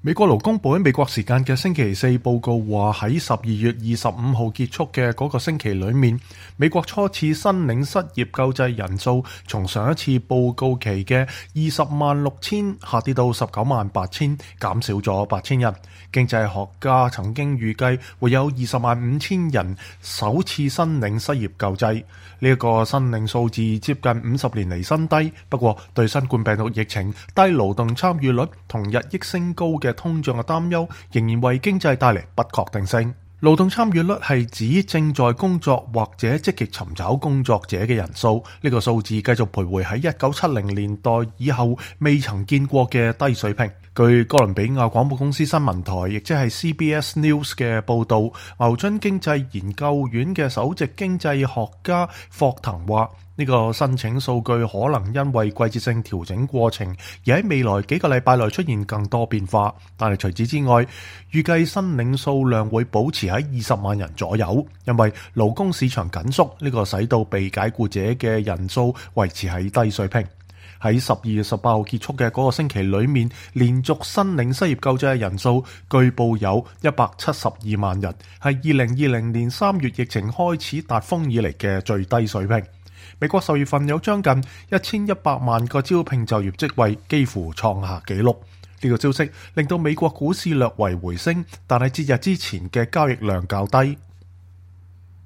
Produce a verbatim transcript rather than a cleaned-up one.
美國勞工部喺美國時間嘅星期四報告話，喺十二月二十五號結束嘅嗰個星期裏面，美國初次申領失業救濟人數從上一次報告期嘅二十萬六千下跌到十九萬八千，減少咗八千人。經濟學家曾經預計會有二十萬五千人首次申領失業救濟，呢、這、一個申領數字接近五十年嚟新低。不過對新冠病毒疫情、低勞動參與率同日益升高嘅通脹嘅擔憂，仍然為經濟帶嚟不確定性。勞動參與率係指正在工作或者積極尋找工作者嘅人數，呢、這個數字繼續徘徊喺一九七零年代以後未曾見過嘅低水平。據哥倫比亞廣播公司新聞台，亦即係 C B S News 嘅報導，牛津經濟研究院嘅首席經濟學家霍騰話，呢、這個申請數據可能因為季節性調整過程而喺未來幾個禮拜內出現更多變化，但係除此之外，預計申領數量會保持喺二十萬人左右，因為勞工市場緊縮，呢、這個使到被解僱者嘅人數維持喺低水平。喺十二月十八號結束嘅嗰個星期裏面，連續申領失業救濟嘅人數據報有一百七十二萬人，係二零二零年三月疫情開始達峰以嚟嘅最低水平。美國十月份有將近一千一百萬個招聘就業職位，幾乎創下紀錄。呢個消息令到美國股市略為回升，但係節日之前嘅交易量較低。